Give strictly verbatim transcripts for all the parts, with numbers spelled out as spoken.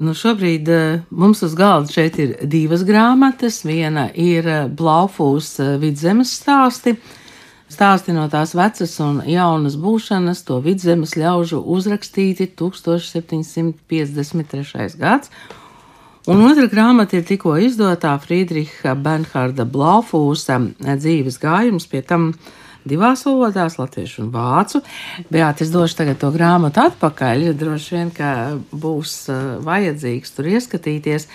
Nu, šobrīd uh, mums uz galda šeit ir divas grāmatas. Viena ir uh, Blaufūs uh, Vidzemes stāsti. Stāsti no tās vecas un jaunas būšanas, to Vidzemes ļaužu uzrakstīti tūkstoš septiņsimt piecdesmit trešais gads. Un otra grāmata ir tikko izdotā Friedriha Bernharda Blaufūsa dzīves gājums, pie tam divās valodās, latviešu un vācu. Beāte, es došu tagad to grāmatu atpakaļ, droši vien, ka būs vajadzīgs tur ieskatīties.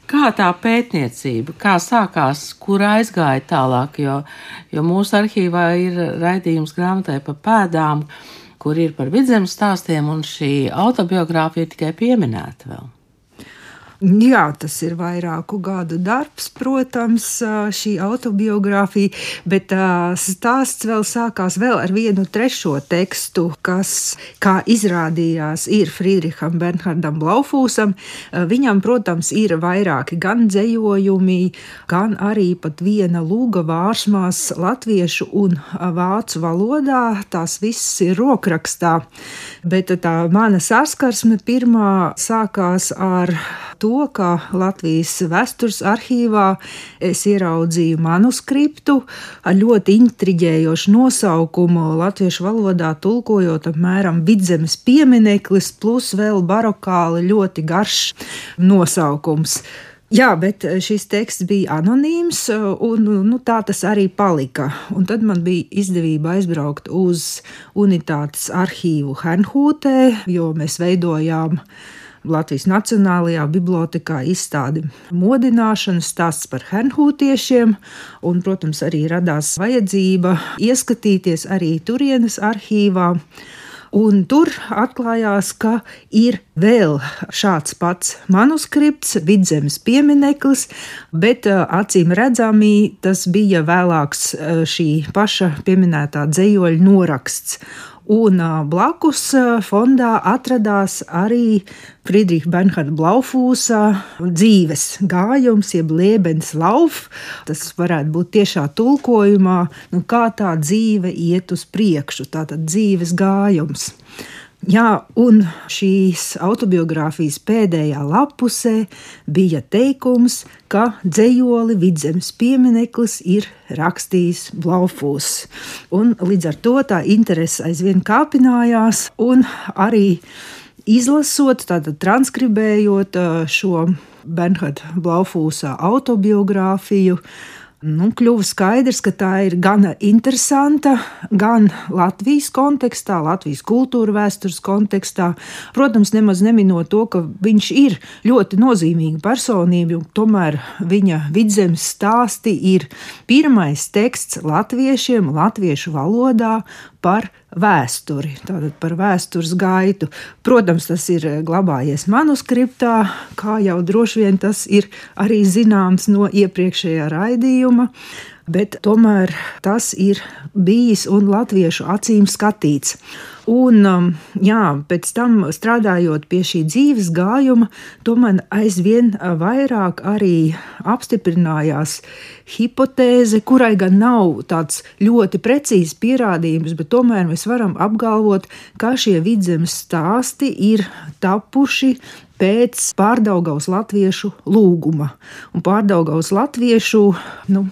Kā tā pētniecība, kā sākās, kur aizgāja tālāk, jo, jo mūsu arhīvā ir raidījums grāmatai pa pēdām, kur ir par Vidzemes stāstiem, un šī autobiogrāfija tikai pieminēta vēl. Jā, tas ir vairāku gadu darbs, protams, šī autobiogrāfija, bet stāsts vēl sākās vēl ar vienu trešo tekstu, kas, kā izrādījās, ir Friedriham Bernhardam Blaufūsam. Viņam, protams, ir vairāki gan dzejojumi, gan arī pat viena lūga vārsmās latviešu un vācu valodā. Tās viss ir rokrakstā, bet tā mana saskarsme pirmā sākās ar to, ka Latvijas vēstures arhīvā es ieraudzīju manuskriptu ar ļoti intriģējošu nosaukumu, latviešu valodā tulkojot apmēram Vidzemes piemineklis, plus vēl barokāli ļoti garš nosaukums. Jā, bet šis teksts bija anonīms, un nu, tā tas arī palika. Un tad man bija izdevība aizbraukt uz unitātes arhīvu Hernhūtē, jo mēs veidojām Latvijas Nacionālajā bibliotēkā izstādi modināšanas stāsts par hernhūtiešiem, un, protams, arī radās vajadzība ieskatīties arī turienes arhīvā. Un tur atklājās, ka ir vēl šāds pats manuskripts, Vidzemes piemineklis, bet acīm redzami tas bija vēlāks šī paša pieminētā dzejoļa noraksts. Un blakus fondā atradās arī Friedriha Bernharda Blaufūsa dzīves gājums, jeb Lebenslauf. Tas varētu būt tiešā tulkojumā, nu, kā tā dzīve iet uz priekšu, tātad dzīves gājums. Jā, un šīs autobiogrāfijas pēdējā lapusē bija teikums, ka dzejoli Vidzemes piemineklis ir rakstījis Blaufūss. Un līdz ar to tā interese aizvien kāpinājās, un arī izlasot, tātad transkribējot šo Bernharda Blaufūsa autobiogrāfiju, nu, kļuva skaidrs, ka tā ir gan interesanta, gan Latvijas kontekstā, Latvijas kultūra vēstures kontekstā. Protams, nemaz neminot to, ka viņš ir ļoti nozīmīga personība, un tomēr viņa Vidzemes stāsti ir pirmais teksts latviešiem, latviešu valodā par vēsturi, tātad par vēstures gaitu. Protams, tas ir glabājies manuskriptā, kā jau droši vien tas ir arī zināms no iepriekšējā raidījuma, bet tomēr tas ir bijis un latviešu acīm skatīts. Un, jā, pēc tam strādājot pie šī dzīves gājuma, to man aizvien vairāk arī apstiprinājās hipotēze, kurai gan nav tāds ļoti precīzs pierādījums, bet tomēr mēs varam apgalvot, ka šie Vidzemes stāsti ir tapuši pēc Pārdaugavas latviešu lūguma. Un Pārdaugavas latviešu, nu,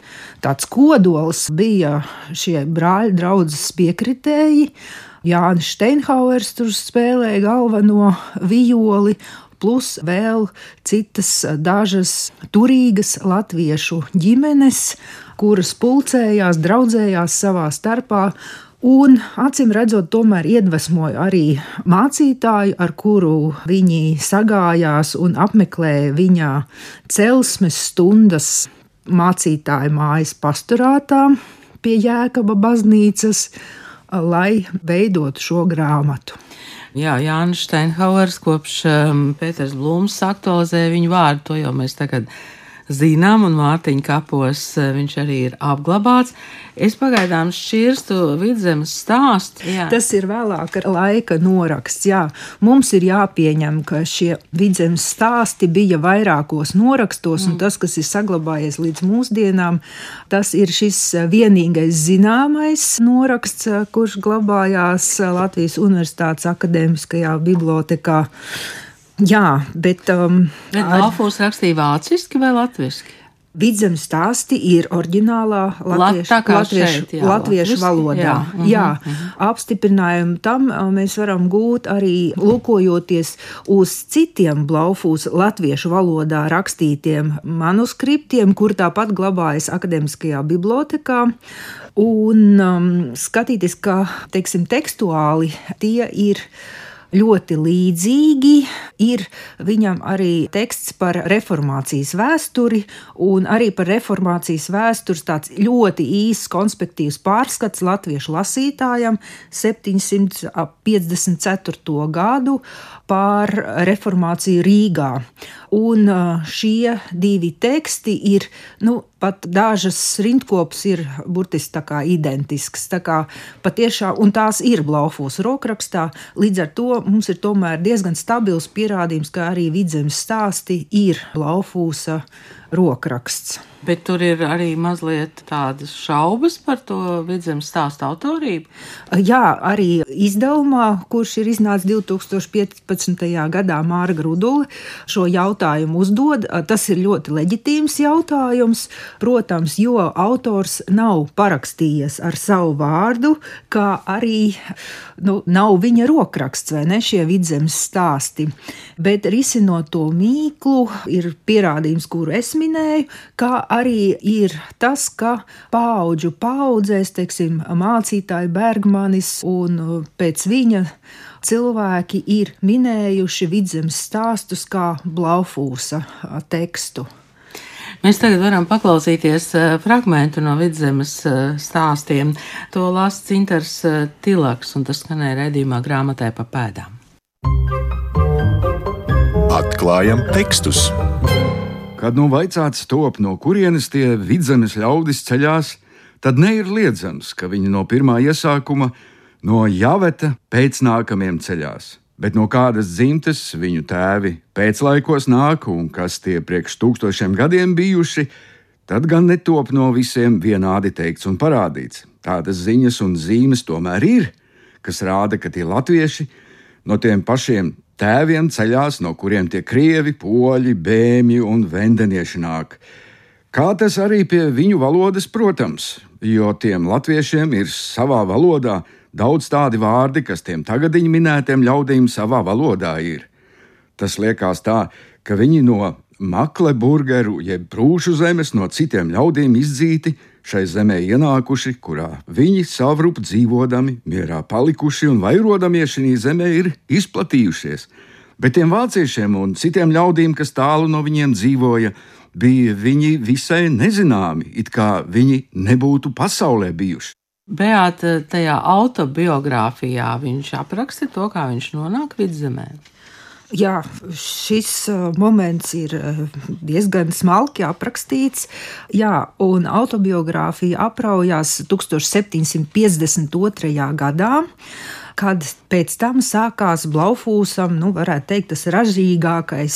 tāds kodols bija šie brāļu draudzes piekritēji. Jānis Steinhauers tur spēlēja galveno vijoli, plus vēl citas dažas turīgas latviešu ģimenes, kuras pulcējās, draudzējās savā starpā. Un, acīm redzot, tomēr iedvesmoja arī mācītāju, ar kuru viņi sagājās un apmeklēja viņa celsmes stundas mācītāju mājas pasturātā pie Jēkaba baznīcas, lai veidotu šo grāmatu. Jā, Jānis Steinhauers kopš um, Pēters Blūms aktualizēja viņu vārdu, to jau mēs tagad zinām, un Mārtiņa kapos viņš arī ir apglabāts. Es pagaidām šķirstu Vidzemes stāstu. Jā. Tas ir vēlāka laika noraksts, jā. Mums ir jāpieņem, ka šie Vidzemes stāsti bija vairākos norakstos, mm. un tas, kas ir saglabājies līdz mūsdienām, tas ir šis vienīgais zināmais noraksts, kurš glabājās Latvijas Universitātes akadēmiskajā bibliotēkā. Jā, bet... Um, bet Blaufūss rakstīja vāciski vai latviski? Vidzemes stāsti ir oriģinālā latviešu, latviešu, šeit, jā, latviešu valodā. Jā, uh-huh, jā. Uh-huh. Apstiprinājumu tam mēs varam gūt arī lūkojoties uz citiem Blaufūssa latviešu valodā rakstītiem manuskriptiem, kur tāpat glabājas akademiskajā bibliotekā. Un um, skatīties, ka, teiksim, tekstuāli tie ir ļoti līdzīgi. Ir viņam arī teksts par reformācijas vēsturi, un arī par reformācijas vēstures tāds ļoti īss konspektīvs pārskats latviešu lasītājam septiņsimt piecdesmit ceturto gadu par reformāciju Rīgā. Un šie divi teksti ir, nu, pat dažas rindkopas ir burtiski tā kā identiskas, tā kā patiešām, un tās ir Blaufūssa rokrakstā, līdz ar to mums ir tomēr diezgan stabils pierādījums, ka arī Vidzemes stāsti ir Blaufūssa rokraksts. Bet tur ir arī mazliet tādas šaubas par to Vidzemes stāstu autorību? Jā, arī izdevumā, kurš ir iznācis divtūkstoš piecpadsmitajā gadā, Māra Grudule šo jautājumu uzdod. Tas ir ļoti leģitīms jautājums, protams, jo autors nav parakstījies ar savu vārdu, kā arī nu, nav viņa rokraksts, vai ne, šie Vidzemes stāsti. Bet risinot to mīklu, ir pierādījums, kuru es minēju, kā arī ir tas, ka paudžu paudzēs, teiksim, mācītāji Bergmanis un pēc viņa cilvēki ir minējuši Vidzemes stāstus kā Blaufūssa tekstu. Mēs tagad varam paklausīties fragmentu no Vidzemes stāstiem. To lasa Cintars Tilaks, un tas skanēja raidījumā Grāmatai pa pēdām. Atklājam tekstus. Kad nu vaicāts top, no kurienes tie Vidzemes ļaudis ceļās, tad ne ir liedzams, ka viņi no pirmā iesākuma no Javeta pēcnākamiem ceļās, bet no kādas dzimtes viņu tēvi pēclaikos nāk un kas tie priekš tūkstošiem gadiem bijuši, tad gan netop no visiem vienādi teikts un parādīts. Tādas ziņas un zīmes tomēr ir, kas rāda, ka tie latvieši no tiem pašiem tēviem ceļās, no kuriem tie krievi, poļi, bēmji un vendenieši nāk. Kā tas arī pie viņu valodas, protams, jo tiem latviešiem ir savā valodā daudz tādi vārdi, kas tiem tagadiņu minētiem ļaudīm savā valodā ir. Tas liekas tā, ka viņi no Makleburgeru jeb Prūšu zemes no citiem ļaudīm izdzīti, šai zemē ienākuši, kurā viņi savrup dzīvodami, mierā palikuši un vairodamies šī zemē ir izplatījušies. Bet tiem vāciešiem un citiem ļaudīm, kas tālu no viņiem dzīvoja, bija viņi visai nezināmi, it kā viņi nebūtu pasaulē bijuši. Beāta, tajā autobiogrāfijā viņš apraksta to, kā viņš nonāk Vidzemē. Jā, šis moments ir diezgan smalki aprakstīts. Jā, un autobiogrāfija apraujās septiņdesmit piecdesmit otrajā gadā, kad pēc tam sākās Blaufūssam, nu, varētu teikt, tas ražīgākais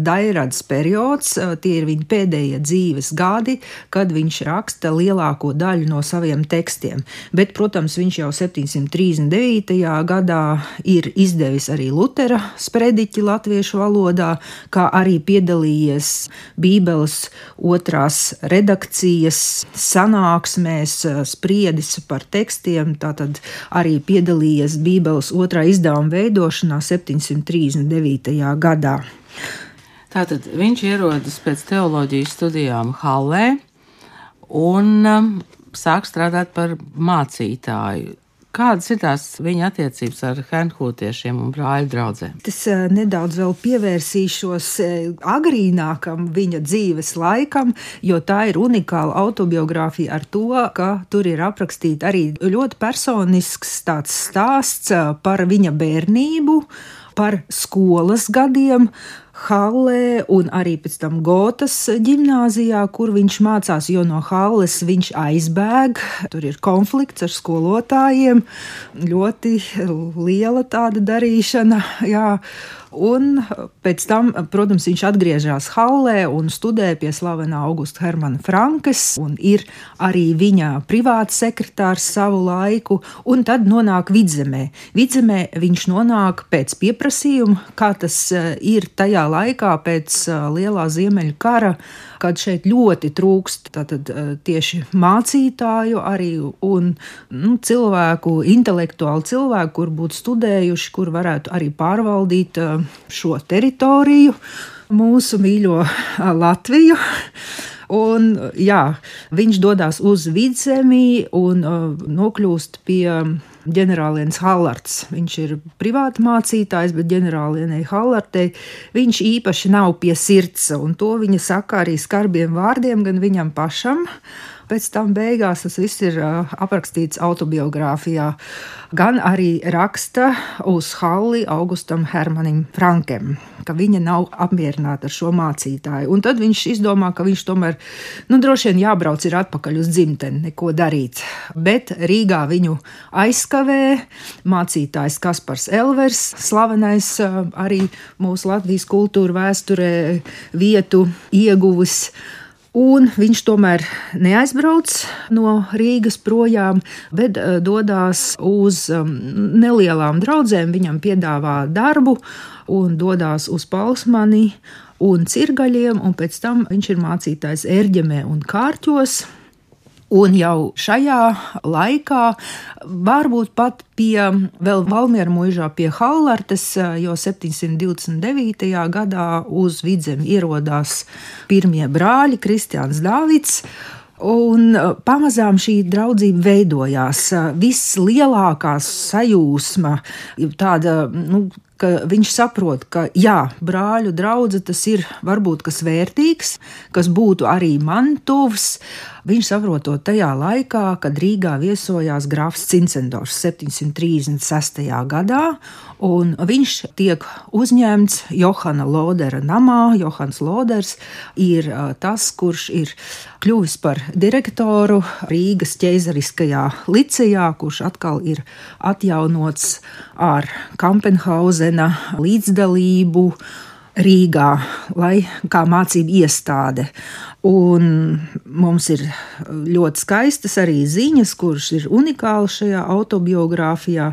dairads periods. Tie ir viņa pēdējie dzīves gadi, kad viņš raksta lielāko daļu no saviem tekstiem. Bet, protams, viņš jau septiņsimt trīsdesmit devītajā gadā ir izdevis arī Lutera sprediķi latviešu valodā, kā arī piedalījies Bībeles otrās redakcijas sanāksmēs, spriedis par tekstiem, tātad arī piedalījies Bībeles otrā izdevuma veidošanā septiņsimt trīsdesmit devītajā gadā. Tātad viņš ierodas pēc teoloģijas studijām Hallē un um, sāk strādāt par mācītāju. Kādas ir tās viņa attiecības ar hernhūtiešiem un brāļu draudzēm? Es nedaudz vēl pievērsīšos agrīnākam viņa dzīves laikam, jo tā ir unikāla autobiogrāfija ar to, ka tur ir aprakstīta arī ļoti personisks tāds stāsts par viņa bērnību, par skolas gadiem Hallē un arī pēc tam Gotas ģimnāzijā, kur viņš mācās, jo no Halles viņš aizbēg. Tur ir konflikts ar skolotājiem, ļoti liela tāda darīšana, jā. Un pēc tam, protams, viņš atgriežas Hallē un studē pie slavenā Augusta Hermana Frankes, un ir arī viņa privāts sekretārs savu laiku, un tad nonāk Vidzemē. Vidzemē viņš nonāk pēc pieprasījuma, kā tas ir tajā laikā pēc Lielā Ziemeļu kara, kad šeit ļoti trūkst tātad, tieši mācītāju arī un nu, cilvēku, intelektuālu cilvēku, kur būtu studējuši, kur varētu arī pārvaldīt šo teritoriju, mūsu mīļo Latviju. Un, jā, viņš dodas uz Vidzemi un uh, nokļūst pie ģenerālienes Hallards. Viņš ir privāti mācītājs, bet ģenerālienei Hallardei viņš īpaši nav pie sirds, un to viņa saka arī skarbiem vārdiem gan viņam pašam. Pēc tam beigās tas viss ir uh, aprakstīts autobiogrāfijā. Gan arī raksta uz Halli Augustam Hermanim Frankem, ka viņa nav apmierināta ar šo mācītāju. Un tad viņš izdomā, ka viņš tomēr, nu, droši vien jābrauc ir atpakaļ uz dzimteni, neko darīt. Bet Rīgā viņu aizskavē mācītājs Kaspars Elvers, slavenais uh, arī mūsu Latvijas kultūra vēsturē vietu ieguvis. Un viņš tomēr neaizbrauc no Rīgas projām, bet dodas uz nelielām draudzēm. Viņam piedāvā darbu un dodas uz Palsmani un Cirgaļiem, un pēc tam viņš ir mācītājs Ērģemē un Kārķos. Un jau šajā laikā, varbūt pat pie vēl Valmiera mūžā pie Hallartes, jo septiņsimt divdesmit devītajā gadā uz Vidzemi ierodās pirmie brāļi Kristiāns Dāvids. Un pamazām šī draudzība veidojās. Vislielākā sajūsma, tāda, nu, ka viņš saprot, ka jā, brāļu draudze tas ir varbūt kas vērtīgs, kas būtu arī man tuvs. Viņš saprot to tajā laikā, kad Rīgā viesojās grāfs Cincendors septiņsimt trīsdesmit sestajā gadā, un viņš tiek uzņemts Johana Lodera namā. Johans Loders ir tas, kurš ir kļuvis par direktoru Rīgas ķeizariskajā licejā, kurš atkal ir atjaunots ar Kampenhausena līdzdalību Rīgā, lai kā mācību iestāde. Un mums ir ļoti skaistas arī ziņas, kuras ir unikālas šajā autobiogrāfijā,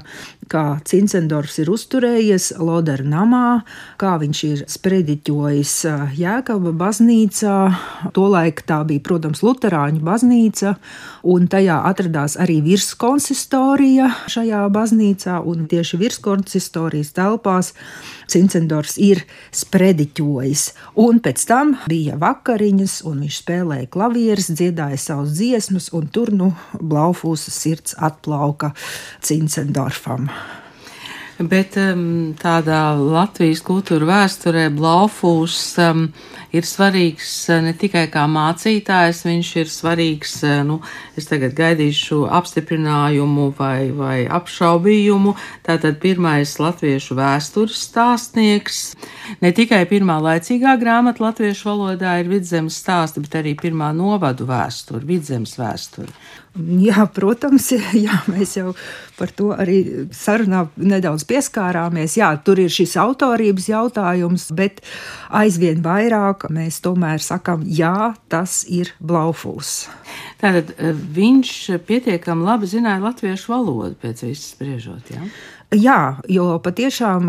kā Cincendors ir uzturējies Lodera namā, kā viņš ir sprediķojis Jēkaba baznīcā. Tolaik tā bija, protams, luterāņu baznīca, un tajā atradās arī virskonsistorija šajā baznīcā, un tieši virskonsistorijas telpās Cincendors ir sprediķojis. Un pēc tam bija vakariņas, un viņš spēlēja klavieres, dziedāja savus dziesmas, un tur, nu, Blaufūsa sirds atplauka Cincendorfam. Bet um, tādā Latvijas kultūra vēsturē Blaufūs um, ir svarīgs ne tikai kā mācītājs, viņš ir svarīgs, nu, es tagad gaidīšu apstiprinājumu vai, vai apšaubījumu, tātad pirmais latviešu vēstures stāstnieks. Ne tikai pirmā laicīgā grāmata latviešu valodā ir Vidzemes stāsti, bet arī pirmā novadu vēsture, Vidzemes vēsture. Jā, protams, jā, mēs jau par to arī sarunā nedaudz pieskārāmies. Jā, tur ir šis autorības jautājums, bet aizvien vairāk mēs tomēr sakam, jā, tas ir Blaufūs. Tātad viņš pietiekami labi zināja latviešu valodu pēc viss spriežot, jā? Jā, jo patiešām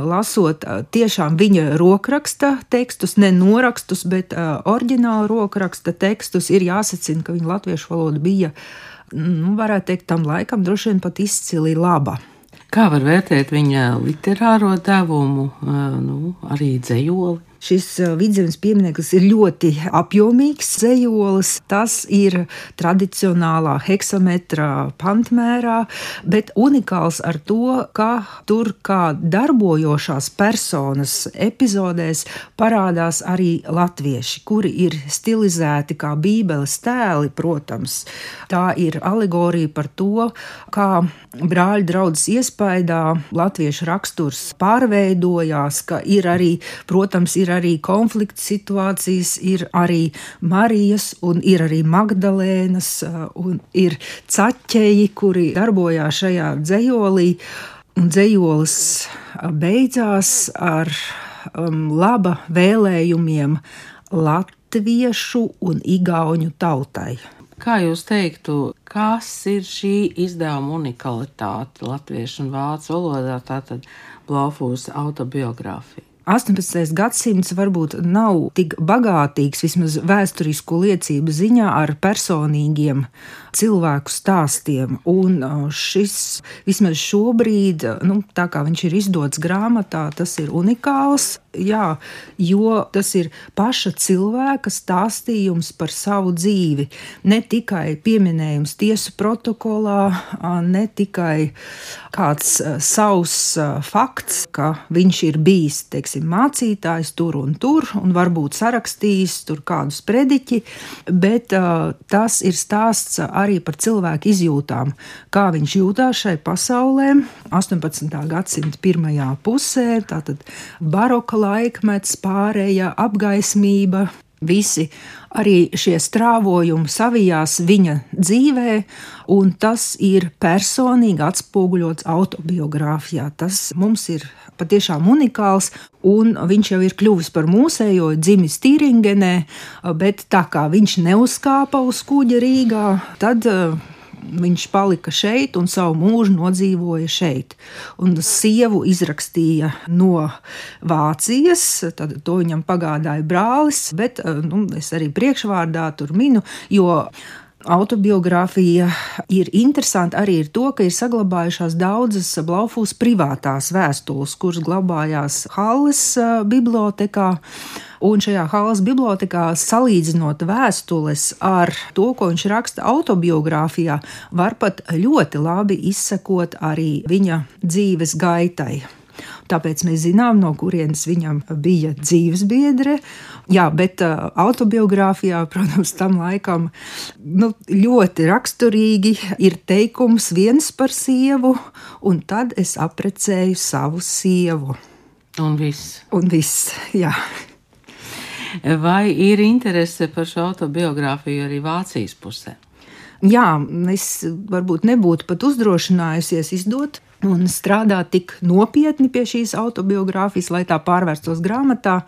lasot tiešām viņa rokraksta tekstus, ne norakstus, bet oriģinālu rokraksta tekstus, ir jāsacina, ka viņa latviešu valoda bija, nu, varētu teikt, tam laikam droši vien pat izcili laba. Kā var vērtēt viņa literāro devumu, nu, arī dzejoli? Šis Vidzemes piemineklis ir ļoti apjomīgs dzejolis. Tas ir tradicionālā heksametrā pantmērā, bet unikāls ar to, ka tur kā darbojošās personas epizodēs parādās arī latvieši, kuri ir stilizēti kā bībeles tēli, protams. Tā ir alegorija par to, kā brāļu draudzes iespaidā latviešu raksturs pārveidojās, ka ir arī, protams, ir arī konflikta situācijas, ir arī Marijas un ir arī Magdalēnas un ir caķeji, kuri darbojās šajā dzejolī. Un dzējolis beidzās ar um, laba vēlējumiem latviešu un igauņu tautai. Kā jūs teiktu, kas ir šī izdevuma unikalitāte latviešu un vācu valodā, tātad Blaufūsa autobiogrāfija? astoņpadsmitais gadsimts varbūt nav tik bagātīgs, vismaz vēsturisku liecību ziņā, ar personīgiem cilvēku stāstiem. Un šis, vismaz šobrīd, nu, tā kā viņš ir izdots grāmatā, tas ir unikāls. Jā, jo tas ir paša cilvēka stāstījums par savu dzīvi. Ne tikai pieminējums tiesu protokolā, ne tikai kāds savs fakts, ka viņš ir bijis, teiksim, mācītājs tur un tur, un varbūt sarakstījis tur kādus prediķi, bet uh, tas ir stāsts arī par cilvēku izjūtām, kā viņš jūtās šai pasaulē astoņpadsmitā gadsimta pirmajā pusē, tātad baroka laikmets, pārēja, apgaismība, visi arī šie strāvojumi savijās viņa dzīvē, un tas ir personīgi atspoguļots autobiogrāfijā. Tas mums ir patiešām unikāls, un viņš jau ir kļuvis par mūsējo, dzimis Tīringenē, bet tā kā viņš neuzkāpa uz kuģa Rīgā, tad viņš palika šeit un savu mūžu nodzīvoja šeit. Un sievu izrakstīja no Vācijas, tad to viņam pagādāja brālis, bet nu, es arī priekšvārdā tur minu, jo autobiogrāfija ir interesanta arī ar to, ka ir saglabājušās daudzas Blaufūsa privātās vēstules, kuras glabājās Halles bibliotēkā. Un šajā Halles bibliotēkā, salīdzinot vēstules ar to, ko viņš raksta autobiogrāfijā, var pat ļoti labi izsekot arī viņa dzīves gaitai. Tāpēc mēs zinām, no kurienes viņam bija dzīvesbiedre. Jā, bet uh, autobiogrāfijā, protams, tam laikam nu, ļoti raksturīgi ir teikums viens par sievu, un tad es aprecēju savu sievu. Un viss. Un viss, jā. Vai ir interese par šo autobiogrāfiju arī Vācijas pusē? Jā, es varbūt nebūtu pat uzdrošinājusies izdot un strādāt tik nopietni pie šīs autobiogrāfijas, lai tā pārvērstos grāmatā,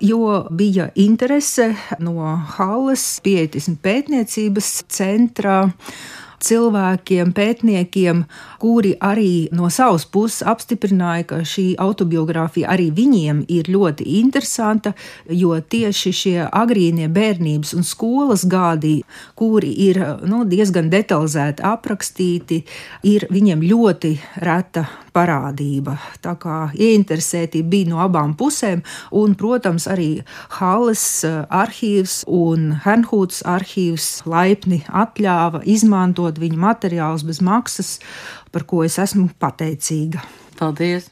jo bija interese no Halles pieetismu pētniecības centra cilvēkiem, pētniekiem, kuri arī no savas puses apstiprināja, ka šī autobiogrāfija arī viņiem ir ļoti interesanta, jo tieši šie agrīnie bērnības un skolas gadi, kuri ir nu, diezgan detalizēti aprakstīti, ir viņiem ļoti reta parādība. Tā kā ieinteresētība bija no abām pusēm, un, protams, arī Halles arhīvs un Hernhūts arhīvs laipni atļāva izmantot viņa materiālus bez maksas, par ko es esmu pateicīga. Paldies!